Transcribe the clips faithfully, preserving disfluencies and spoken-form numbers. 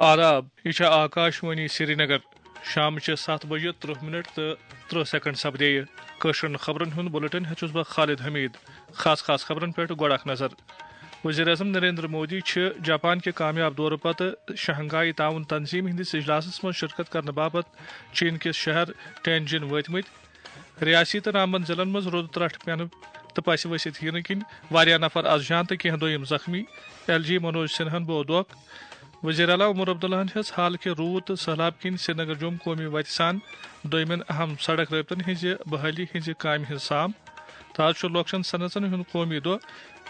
آداب، یہِ چھےٚ آکاش وانی سرینگر۔ شامچہِ ستھ بجہِ ترٕٛہ منٹ تہٕ ترٕٛہ سیکنڈ سپدییہِ۔ کٲشرٮ۪ن خبرن ہُنٛد بُلٹن ہیوٚت چھُس بہٕ خالد حمید۔ خاص خاص خبرن پٮ۪ٹھ گۄڈٕ اکھ نظر۔ وزیر اعظم نریندر مودی چھِ جاپان کہِ کامیاب دورٕ پتہٕ شنگھائی تعاون تنظیم ہٕنٛدِس اجلاسس منٛز شرکت کرنہٕ باپتھ چین کِس شہر ٹینجن وٲتمٕتۍ۔ ریاسی تہٕ رامبن ضلعن منٛز رُدٕ ترٹھ پینہٕ تہٕ پسہِ ؤسِتھ یِنہٕ کِنۍ واریاہ نفر از جان تہٕ کینٛہہ دوٚیِم زخمی۔ ایل جی منوج سنہاہن بوو دۄکھ۔ وزیر اعلیٰ عمر عبداللہن ہیٚژ حال کہِ روٗد تہٕ سٔہلاب کِنۍ سرینگر جوم قومی وتہِ سان دوٚیمٮ۪ن اہم سڑک رٲبطن ہٕنٛزِ بحٲلی ہٕنٛزِ کامہِ ہٕنٛز سام۔ تہٕ از چھُ لۄکچن صنعژن ہُنٛد قومی دۄہ۔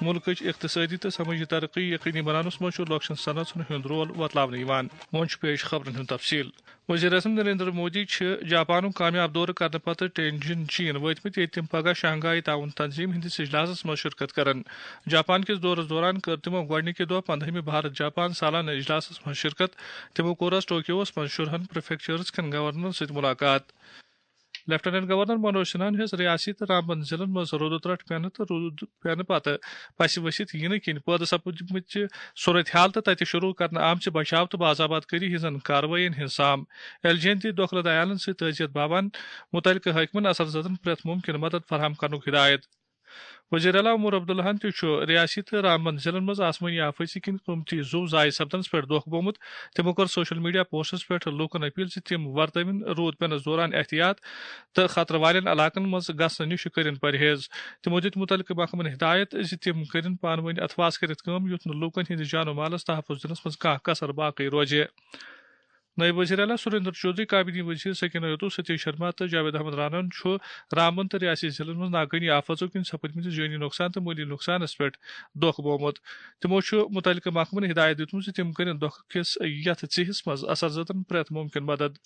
مُلکٕچ اقتصٲدی تہٕ سمٲجی ترقی یقینی بناونس منٛز چھُ لۄکچن صنعژن ہُنٛد رول وۄتلاونہٕ یِوان۔ وۄنۍ چھُ پیش خبرن ہُنٛد تفصیل۔ وزیر اعظم نریندر مودی چھِ جاپانُک کامیاب دورٕ کرنہٕ پتہٕ ٹینجن چین وٲتمٕتۍ، ییٚتہِ تِم پگاہ شنگھائی تعاون تنظیم ہٕنٛدِس اجلاسَس منٛز شرکت کرن۔ جاپان کِس دورَس دوران کٔر تِمو گۄڈٕنِکہِ دۄہ پندہمہِ بھارت جاپان سالانہٕ اجلاسَس منٛز شرکت۔ تِمو کوٚر از ٹوکیوَس منٛز شُرہن پریفیکچرز کٮ۪ن گورنرَن سۭتۍ مُلاقات۔ لیفٹیننٹ گورنر منوج سنہاہن ہیٚژ ریاسی تہٕ رامبن ضلعن منٛز رُدٕ ترٹھ پینہٕ تہٕ روٗد پینہٕ پتہٕ پسہِ ؤسِتھ یِنہٕ کِنۍ پٲدٕ سپدمٕتۍ صورت حال تہٕ تتہِ شروع کرنہٕ آمژِ بچاو تہٕ باضاباد کٲری ہٕنٛزن کاروٲیین ہٕنٛز سام۔ ایل جی یَن دِتۍ دۄکھٕ لد عیالن سۭتۍ تعزیت باوان مُتعلقہٕ حٲکمن اثر زدن پرٛٮ۪تھ مُمکِن مدد فراہم کرنُک ہدایت۔ وزیر اعلیٰ عمر عبداللہن تہِ چھُ ریاسی تہٕ رامبن ضلعن منٛز آسمٲنی آفٲژی کِنۍ قۭمتی زُو ضایع سپدنس پٮ۪ٹھ دۄکھ گوٚمُت۔ تِمو کٔر سوشل میڈیا پوسٹس پٮ۪ٹھ لوٗکن اپیل زِ تِم ورتٲوِن روٗد پینس دوران احتیاط تہٕ خطرٕ والٮ۪ن علاقن منٛز گژھنہٕ نِش کٔرِن پرہیز۔ تِمو دِتۍ مُتعلقہٕ محکمن ہدایت زِ تِم کٔرِن پانہٕ ؤنۍ اتھواس کٔرِتھ کٲم، یُتھ نہٕ لوٗکن ہٕنٛدِ جان و مالس تحفظ دِنس منٛز کانٛہہ کسر باقٕے روزِ۔ نٲیِب وزیر اعلیٰ سریندر چودھری، کابینی وزیر سکینہ یتو، ستیش شرما تہٕ جاوید احمد رانن چھُ رامبن تہٕ ریاسی ضلعن منٛز ناگٲنی آفژو کِنۍ سپدمٕتِس جٲنی نۄقصان تہٕ مٲلی نۄقصانس پٮ۪ٹھ دۄکھ بومُت۔ تِمو چھُ مُتعلقہٕ محکمن ہدایت دِژمٕژ زِ تِم کٔرِن دۄکھٕ کِس یتھ ژیہِس منٛز اثر زدن پرٛٮ۪تھ مُمکِن مدد۔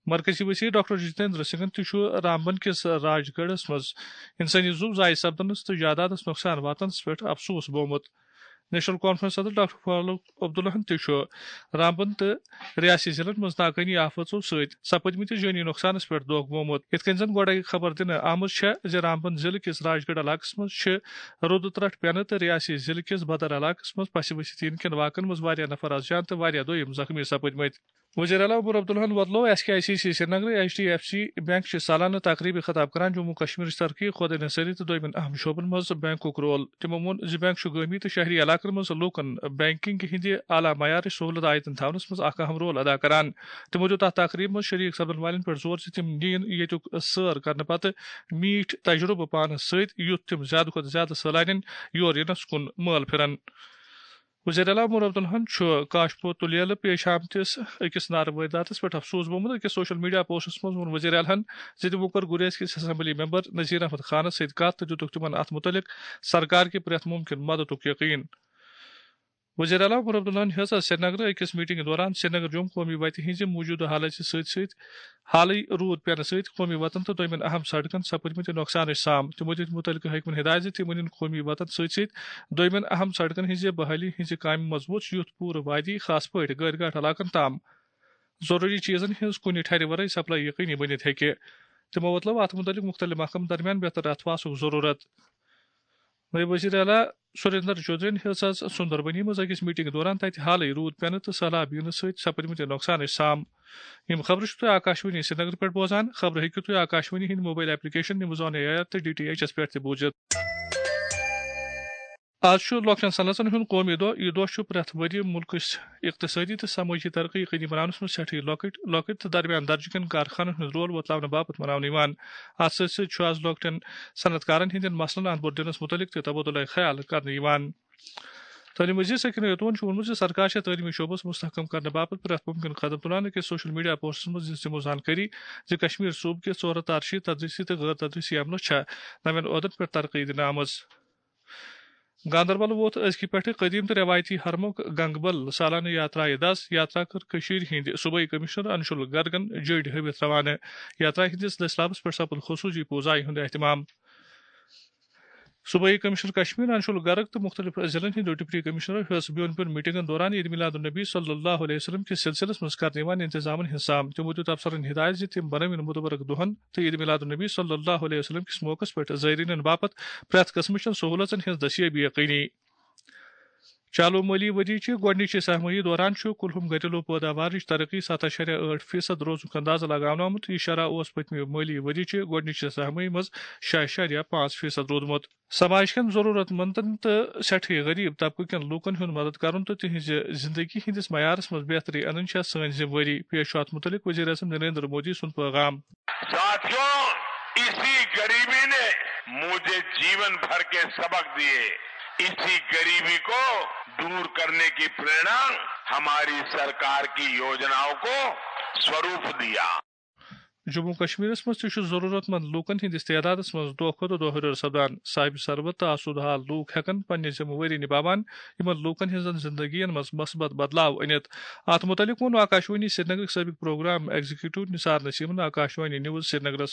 مرکزی وزیر ڈاکٹر جتیندر سنگھن تہِ چھُ رامبن کِس راج گڑھس منٛز انسٲنی زُو ضایع سپدنس تہٕ جائیدادس نۄقصان واتنس پٮ۪ٹھ افسوس بومُت۔ نیشنل کانفرنس صدر ڈاکٹر فاروق عبداللہن تہِ چھُ رامبن تہٕ ریاسی ضلعن منٛز ناگٲنی آفژو سۭتۍ سپدمٕتِس جٲنی نۄقصانس پٮ۪ٹھ دۄکھ گوٚمُت۔ یِتھ کٔنۍ زن گۄڈے خبر دِنہٕ آمٕژ چھےٚ زِ رامبن ضلعہٕ کِس راج گڑھ علاقس منٛز چھِ رُدٕ ترٹھ پینہٕ تہٕ ریاسی ضلعہٕ کِس بدر علاقس منٛز پسہِ ؤسِتھ یِنہٕ کٮ۪ن واقعن منٛز واریاہ نفر از جان تہٕ واریاہ دوٚیِم زخمی سپدمٕتۍ۔ وزیر اعلیٰ عمر عبداللہن وۄتلوو S K I C C سرینگرٕ، H D F C bank چہِ سالانہٕ تقریبہِ خطاب کران جموں کشمیرٕچ ترقی، خۄد انحصٲری تہٕ دوٚیمٮ۪ن اہم شعبن منٛز بینکُک رول۔ تِمو ووٚن زِ بینک چھُ گٲمی تہٕ شہری علاقن منٛز لوٗکن بینکنگ ہٕنٛدِ اعلیٰ معیارٕچ سہولت عائد تھاونس منٛز اکھ اہم رول ادا کران۔ تِمو دیُت اتھ تقریبہِ منٛز شریک سپدن والٮ۪ن پٮ۪ٹھ زور زِ تِم نِیِن ییٚتیُک سٲر کرنہٕ پتہٕ میٖٹھۍ تجرُبہٕ پانس سۭتۍ، یُتھ تِم زیادٕ کھۄتہٕ زیادٕ سٲلانٮ۪ن یور یِنس کُن مٲل پھِرن۔ وزیر اعلیٰ عمر عبداللہن چھُ کاشپور تُلیلہٕ پیش آمتِس أکِس نارٕ وٲرۍداتس پٮ۪ٹھ افسوس بومُت۔ أکِس سوشل میڈیا پوسٹس منٛز ووٚن وزیر اعلیٰ ہن زِ تِمو کٔر گریز کِس اسمبلی ممبر نذیر احمد خانس سۭتۍ کتھ تہٕ دِتُکھ تِمن اتھ مُتعلق سرکار کہِ پرٛٮ۪تھ مُمکِن مددُک یقین۔ وزیر اعلیٰ عمر عبداللہن ہیٚژ از سرینگرٕ أکِس میٹنگہِ دوران سرینگر جوم قومی وتہِ ہٕنٛزِ موجودٕ حالژِ سۭتۍ سۭتۍ حالٕے روٗد پینہٕ سۭتۍ قومی وطن تہٕ دوٚیمٮ۪ن اہم سڑکن سپٕدمٕتہِ نۄقصانٕچ سام۔ تِمو دِتۍ مُتعلقہٕ حٲکمن ہدایت زِ تِم أنِن قومی وطن سۭتۍ سۭتۍ دوٚیمٮ۪ن اہم سڑکن ہٕنٛزِ بحالی ہٕنٛزِ کامہِ مضبوٗط، یُتھ پوٗرٕ وادی، خاص پٲٹھۍ گٲڑۍ گاٹھ علاقن تام ضروٗری چیٖزن ہٕنٛز کُنہِ ٹھرِ ورٲے سپلائی یقینی بٔنِتھ ہیٚکہِ۔ تِمو وۄتلٲو اتھ مُتعلق مُختٔلِف محکمن درمیان بہتر اتھواسُک ضروٗرت۔ نٲیِب وزیر اعلیٰ سریندر چودھرین ہیٚژ از سُندربنی منٛز أکِس میٹنگ دوران تتہِ حالٕے روٗد پینہٕ تہٕ سہلاب یِنہٕ سۭتۍ سپٕدمٕتہِ نۄقصانٕچ سام۔ یِم خبرٕ چھِو تُہۍ آکاشوانی سرینگر پٮ۪ٹھ بوزان۔ خبرٕ ہیٚکِو تُہۍ آکاشوانی ہٕنٛدِ mobile application news on A R تہٕ ڈی ٹی ایچ ایس پٮ۪ٹھ تہِ بوٗزِتھ۔ از چھُ لۄکچن صنعژن ہُنٛد قومی دۄہ۔ یہِ دۄہ چھُ پرٛٮ۪تھ ؤرۍ یہِ مُلکٕچ اقتصٲدی تہٕ سمٲجی ترقی یقینی بناونس منٛز سٮ۪ٹھٕے لۄکٕٹۍ، لۄکٕٹۍ تہٕ درمیان درجہٕ کٮ۪ن کارخانن ہُنٛد رول وۄتلاونہٕ باپتھ مناونہٕ یِوان۔ اتھ سۭتۍ سۭتۍ چھُ از لۄکٹٮ۪ن صنعت کارن ہٕنٛدٮ۪ن مسلن اند پور دِنس مُتعلق تہِ تبادلہ خیال کرنہٕ یِوان۔ تعلیٖم وزیر سکینہ یتون چھُ ووٚنمُت زِ سرکار چھےٚ تعلیٖمی شعبس مستحکم کرنہٕ باپتھ پرٛٮ۪تھ مُمکِن قدم تُلان۔ أکِس سوشل میڈیا پوسٹس منٛز دِژ تِمو زانکٲری زِ کشمیر صوبہٕ کِس ژورہتھ تارشی، تدریسی تہٕ غٲر تدریسی عملس چھےٚ نوٮ۪ن عہدن پٮ۪ٹھ ترقی دِنہٕ آمٕژ۔ گاندربل ووت أزکہِ پٮ۪ٹھٕ قدیم تہٕ رٮ۪وایتی حرمُک گنگبل سالانہٕ یاترایہِ دس۔ یاترا کٔر کٔشیٖرِ ہٕنٛدۍ صوبٲئی کمشنر انشول گرگن جٔڈۍ ہٲوِتھ روانہٕ۔ یاترا ہٕنٛدِس دٔسۍ لابس پٮ۪ٹھ سپُد خصوٗصی پوٗزایہِ ہُنٛد اہتمام۔ صوبٲئی کمشنر کشمیر انشول گرگ تہٕ مُختٔلِف ضلعن ہٕنٛدیو ڈپٹی کمشنرو ہیٚژ بیوٚن بیوٚن میٹنگن دوران عید میلاد النبی صلی اللہ علیہ وسلم کِس سلسلس منٛز کرنہٕ یِوان انتظامن ہٕنٛز سام۔ تِمو دیُت افسرن ہدایت زِ تِم بنٲوِن مُتبرک دۄہن تہٕ عید میلاد النبی صلی اللہ علیہ وسلم کِس موقعس پٮ۪ٹھ زائرینن باپتھ پرٛٮ۪تھ قٕسمٕچن سہوٗلژن ہٕنٛز دٔستیٲبی یقینی۔ چالو مٲلی ؤریہِ چہِ گۄڈٕنِچہِ سہ ماہی دوران چھُ کُلہُم گھریلو پٲداوارٕچ ترقی ستھ اعشاریہ ٲٹھ فیصد روزنُک اندازٕ لگاونہٕ آمُت۔ یہِ شرح اوس پٔتمہِ مٲلی ؤریہِ چہِ گۄڈٕنِچہِ سہ ماہی منٛز شےٚ اعشاریہ پانٛژھ فیصد روٗدمُت۔ سماج کٮ۪ن ضروٗرت مندن تہٕ سٮ۪ٹھٕے غریب طبقہٕ کٮ۪ن لوٗکن ہُنٛد مدد کرُن تہٕ تِہنٛزِ زندگی ہٕنٛدِس معیارس منٛز بہتری انٕنۍ چھےٚ سٲنۍ ذمہٕ وٲری۔ پیش چھُ اتھ مُتعلق وزیر اعظم نریندر مودی سُنٛد پیغام۔ ساتھیوں، اسی غریبی نے مجھے جیون بھر کے سبق دیے۔ اسی غریبی کو دور کرنے کی प्रेरणा ہماری सरकार की योजनाओं को स्वरूप दिया۔ جموں کشمیرس منٛز تہِ چھُ ضروٗرت مند لوٗکن ہٕنٛدِس تعدادس منٛز دۄہ کھۄتہٕ دۄہ ہُرٮ۪ر سپدان۔ صاحب ثروت تہٕ آسودٕ حال لوٗکھ ہٮ۪کن پننہِ ذمہٕ وٲری نباوان یِمن لوٗکن ہٕنٛزن زندگین منٛز مثبت بدلاو أنِتھ۔ اتھ مُتعلق ووٚن آکاشوانی سرینگرٕکۍ سٲبق پروگرام ایگزیکٹو نثار نسیمن آکاشوانی نیوز سرینگرس۔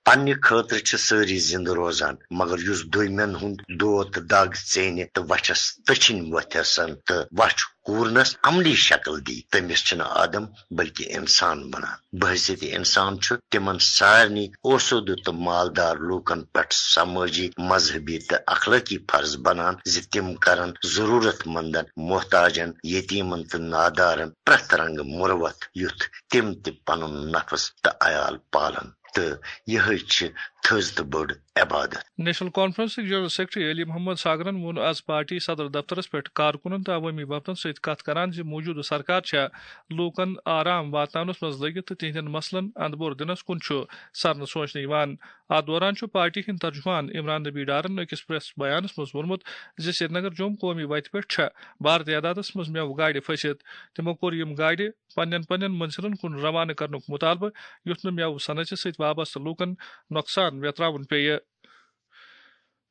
پننہِ خٲطرٕ چھِ سٲری زِندٕ روزان، مگر یُس دوٚیمٮ۪ن ہُنٛد دود تہٕ دگ ژینہِ تہٕ وَچھَس تٔچھِنۍ وۄتھٮ۪سَن تہٕ وَچھ کوٗرنَس عملی شکل دی، تٔمِس چھِنہٕ آدم بلکہِ اِنسان بنان۔ بحیثیت اِنسان چھُ تِمن سارنٕے اوسوٗدٕ تہٕ مالدار لوٗکن پٮ۪ٹھ سمٲجی، مذہبی تہٕ اخلٲقی فرض بنان زِ تِم کرن ضروٗرت مندن، محتاجن، یتیمن تہٕ نادارن پرٛٮ۪تھ رنگہٕ مُروت، یُتھ تِم تہِ پنُن نفس تہٕ عیال پالن۔ تہٕ یِہے چھِ تھٔز تہٕ بٔڑ عبادت۔ نیشنل کانفرنسٕکۍ جنرل سیکرٹری علی محمد ساگرن ووٚن آز پارٹی صدر دفترس پٮ۪ٹھ کارکُنن تہٕ عوٲمی وفدن سۭتۍ کتھ کران زِ موجودٕ سرکار چھےٚ لوٗکن آرام واتناونس منٛز لٔگِتھ تہٕ تِہنٛدٮ۪ن مسلن اندبور دِنس کُن چھُ سرنہٕ سونچنہٕ یِوان۔ اتھ دوران چھُ پارٹی ہٕنٛدۍ ترجمان عمران نبی ڈارن أکِس پریس بیانس منٛز ووٚنمُت زِ سرینگر جوم قومی وتہِ پٮ۪ٹھ چھےٚ بار تعدادس منٛز مٮ۪وٕ گاڑِ پھٔسِتھ۔ تِمو کوٚر یِم گاڑِ پننٮ۪ن پننٮ۪ن منزلن کُن روانہٕ کرنُک مطالبہٕ، یُتھ نہٕ مٮ۪وٕ صنعتہِ سۭتۍ وابستہٕ لوٗکن نۄقصان ویتراوُن پیٚیہِ۔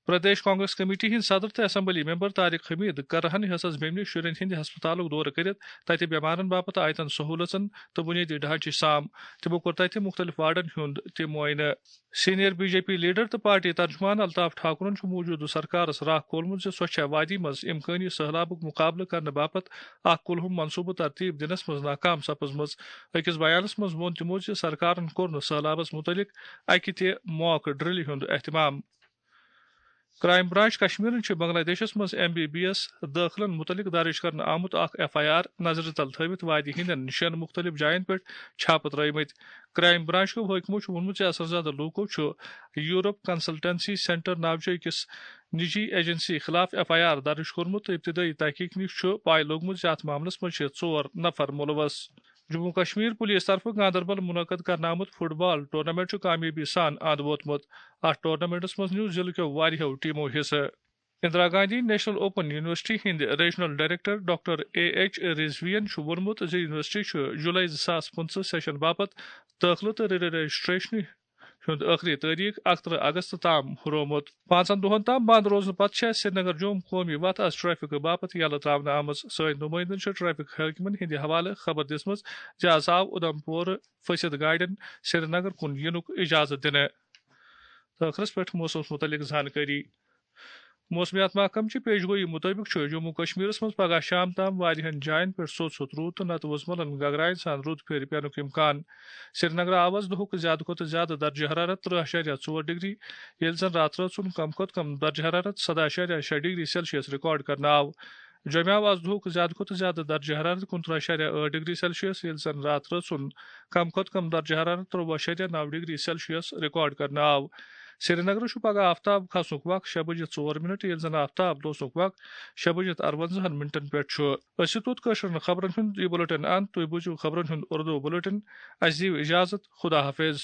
پردیش کانگریس کمیٹی ہٕنٛدۍ صدر تہٕ اسمبلی ممبر طارق حمید کر رہن ہسس بیمنہِ شُرٮ۪ن ہٕنٛدِ ہسپتالُک دورٕ کٔرِتھ تتہِ بٮ۪مارن باپتھ آیتن سہوٗلژن تہٕ بُنیٲدی ڈھانچٕچ سام۔ تِمو کوٚر تتہِ مُختٔلِف وارڈن ہُنٛد تہِ معٲینہٕ۔ Senior B J P leader تہٕ پارٹی ترجمان الطاف ٹھاکرن چھُ موجودٕ سرکارس راہ کھولمُت زِ سۄ چھےٚ وادی منٛز امکٲنی سٔہلابُک مُقابلہٕ کرنہٕ باپتھ اکھ کُلہُم منصوبہٕ ترتیب دِنس منٛز ناکام سپٕزمٕژ۔ أکِس بیانس منٛز ووٚن تِمو زِ سرکارن کوٚر نہٕ سٔہلابس مُتعلق اکہِ تہِ موک ڈرلہِ ہُنٛد اہتمام۔ کرائم برانچ کشمیرن چھِ بنگلہ دیشس منٛز ایم بی بی ایس دٲخلن مُتعلق درٕج کرنہٕ آمُت اکھ ایف آئی آر نظرِ تل تھٲوِتھ وادی ہٕنٛدٮ۪ن شٮ۪ن مُختٔلِف جاین پٮ۪ٹھ چھاپہٕ ترٲومٕتۍ۔ کرائم برانچ کیو حٲکمو چھُ ووٚنمُت زِ اثر زدٕ لوٗکو چھُ یورپ کنسلٹنسی سینٹر ناوچہِ أکِس نجی ایجنسی خلاف ایف آئی آر درٕج کوٚرمُت تہٕ ابتدٲیی تحقیق نِش چھُ پاے لوٚگمُت زِ اتھ معاملس منٛز چھِ ژور نفر مُلوث۔ جموں کشمیر پولیس طرفہٕ گاندربل منعقد کرنہٕ آمُت فٹ بال ٹورنامنٹ چھُ کامیٲبی سان اند ووتمُت۔ اتھ ٹورنامنٹس منٛز نیوٗ ضلعہٕ کیو واریاہو ٹیمو حصہٕ۔ Indira Gandhi national open university ہٕنٛدۍ regional director doctor A H رضوین چھُ ووٚنمُت زِ یونیورسٹی چھُ جولائی زٕ ساس پٕنٛژٕہ سیشن باپتھ دٲخلہٕ تہٕ رجسٹریشنہِ ہُنٛد ٲخری تٲریخ اَکترٕہ اگست تام ہُرومُت۔ پانٛژن دۄہَن تام بنٛد روزنہٕ پتہٕ چھےٚ سرینگر جوم قومی وتھ از ٹریفک باپتھ یلہٕ ترٛاونہٕ آمٕژ۔ سٲنۍ نُمٲیندَن چھِ ٹریفک حٲکمَن ہٕنٛدِ حوالہٕ خبر دِژمٕژ زِ از آو اُدھمپور پھٔسِتھ گاڑٮ۪ن سرینگر کُن یِنُک اجازت دِنہٕ۔ تہٕ ٲخرس پٮ۪ٹھ موسمس مُتعلق زانکٲری۔ موسمیات محکمہٕ چہِ پیش گویی مُطٲبِق چھُ جموں کشمیرس منٛز پگہہ شام تام واریاہن جاین پٮ۪ٹھ سوٚت سوٚت روٗد تہٕ نتہٕ وُزملن گگراین سان روٗد پھیرِ پینُک امکان۔ سرینگرٕ آو از دُہُک زیادٕ کھۄتہٕ زیادٕ درجہ حرارت ترٕہ اعشاریہ ژور ڈگری، ییٚلہِ زن راتہٕ رٲژ ہُنٛد کم کھۄتہٕ کم درجہ حرارت سداہ اعشاریہ شےٚ ڈگری سیلسیس ریکارڈ کرنہٕ آو۔ جوٚمہِ آو از دُہُک زیادٕ کھۄتہٕ زیادٕ درجہ حرارت کُنترٕہ اعشاریہ ٲٹھ ڈگری سیلسیس، ییٚلہِ زن راتہٕ رٲژ ہُنٛد کم کھۄتہٕ کم درجہ حرارت ترٛوٚوُہ اعشاریہ نَو ڈگری سیلسیس ریکارڈ کرنہٕ آو۔ سرینگرٕ چھُ پگہہ آفتاب کھسنُک وق شےٚ بجے ژور منٹ، ییٚلہِ زن آفتاب لوسنُک وق شےٚ بجے تہٕ اَروَنزاہن منٹن پٮ۪ٹھ چھُ۔ أسۍ چھِ توٚت کٲشرٮ۪ن خبرن ہُنٛد یہِ بُلٹن اند۔ تُہۍ بوٗزِو خبرن ہُنٛد اردو بُلٹن۔ اَسہِ دِیِو اجازت۔ خدا حافظ۔